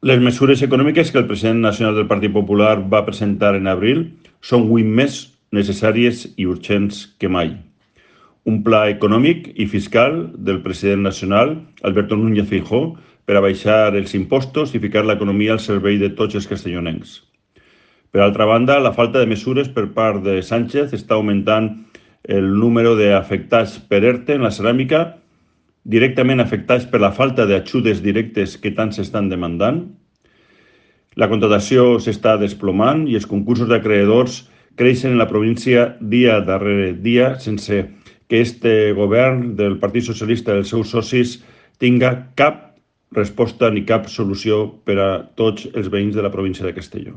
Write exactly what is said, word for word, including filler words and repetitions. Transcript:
Les mesures econòmiques que el president nacional del Partit Popular va presentar en abril són avui més necessàries i urgents que mai. Un pla econòmic i fiscal del president nacional, Alberto Núñez Feijóo, per a baixar els impostos i ficar l'economia al servei de tots els castellonencs. Per altra banda, la falta de mesures per part de Sánchez està augmentant el número d'afectats per ERTE en la ceràmica, directament afectats per la falta d'ajudes directes que tant s'estan demandant. La contractació s'està desplomant i els concursos d'acreedors creixen en la província dia darrere dia sense que este govern del Partit Socialista i els seus socis tinga cap resposta ni cap solució per a tots els veïns de la província de Castelló.